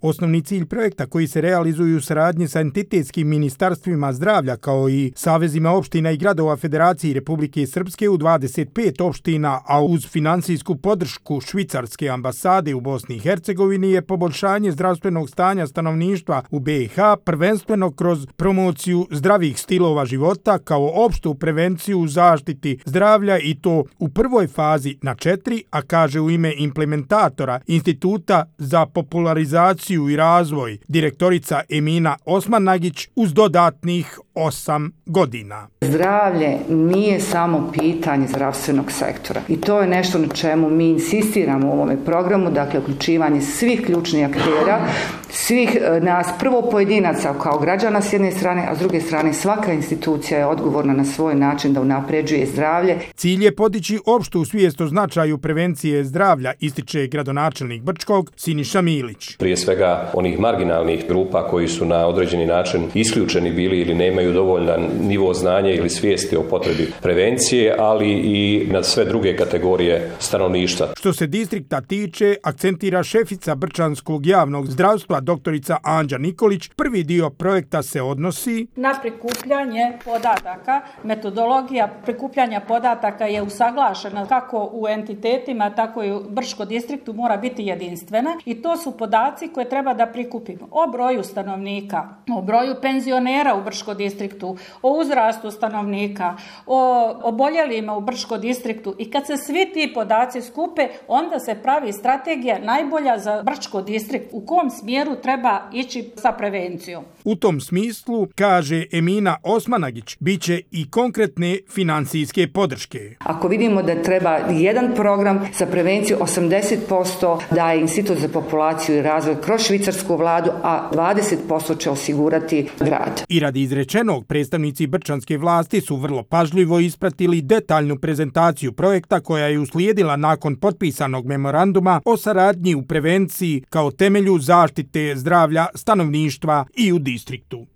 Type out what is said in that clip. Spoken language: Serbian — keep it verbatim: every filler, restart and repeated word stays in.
Osnovni cilj projekta koji se realizuju u saradnji sa entitetskim ministarstvima zdravlja kao i savezima opština i gradova Federacije Republike Srpske u dvadeset pet opština, a uz finansijsku podršku švicarske ambasade u Bosni i Hercegovini je poboljšanje zdravstvenog stanja stanovništva u be i ha, prvenstveno kroz promociju zdravih stilova života kao opštu prevenciju u zaštiti zdravlja i to u prvoj fazi na četiri, a kaže u ime implementatora Instituta za popularizaciju i razvoj direktorica Emina Osmanagić uz dodatnih osam godina. Zdravlje nije samo pitanje zdravstvenog sektora i to je nešto na čemu mi insistiramo u ovome programu, dakle uključivanje svih ključnih aktera, svih nas, prvo pojedinaca kao građana s jedne strane, a s druge strane svaka institucija je odgovorna na svoj način da unapređuje zdravlje. Cilj je podići opštu svijest o značaju prevencije zdravlja, ističe gradonačelnik Brčkog Siniša Milić. Prije svega onih marginalnih grupa koji su na određeni način isključeni bili ili nemaju dovoljan nivo znanja ili svijesti o potrebi prevencije, ali i na sve druge kategorije stanovništva. Što se distrikta tiče, akcentira šefica Brčanskog javnog zdravstva doktorica Anđa Nikolić, prvi dio projekta se odnosi na prikupljanje podataka. Metodologija prikupljanja podataka je usaglašena kako u entitetima, tako i u Brčko distriktu mora biti jedinstvena i to su podaci koje treba da prikupimo o broju stanovnika, o broju penzionera u Brčko distriktu, o uzrastu stanovnika, o oboljelima u Brčko distriktu i kad se svi ti podaci skupe, onda se pravi strategija najbolja za Brčko distrikt u kom smjeru treba ići sa prevencijom. U tom smislu, kaže Emina Osmanagić, bit će i konkretne financijske podrške. Ako vidimo da treba jedan program za prevenciju, osamdeset posto daje Institut za populaciju i razvoj kroz švicarsku vladu, a dvadeset posto će osigurati grad. I radi izrečenog, predstavnici brčanske vlasti su vrlo pažljivo ispratili detaljnu prezentaciju projekta koja je uslijedila nakon potpisanog memoranduma o saradnji u prevenciji kao temelju zaštite zdravlja stanovništva i u distriktu.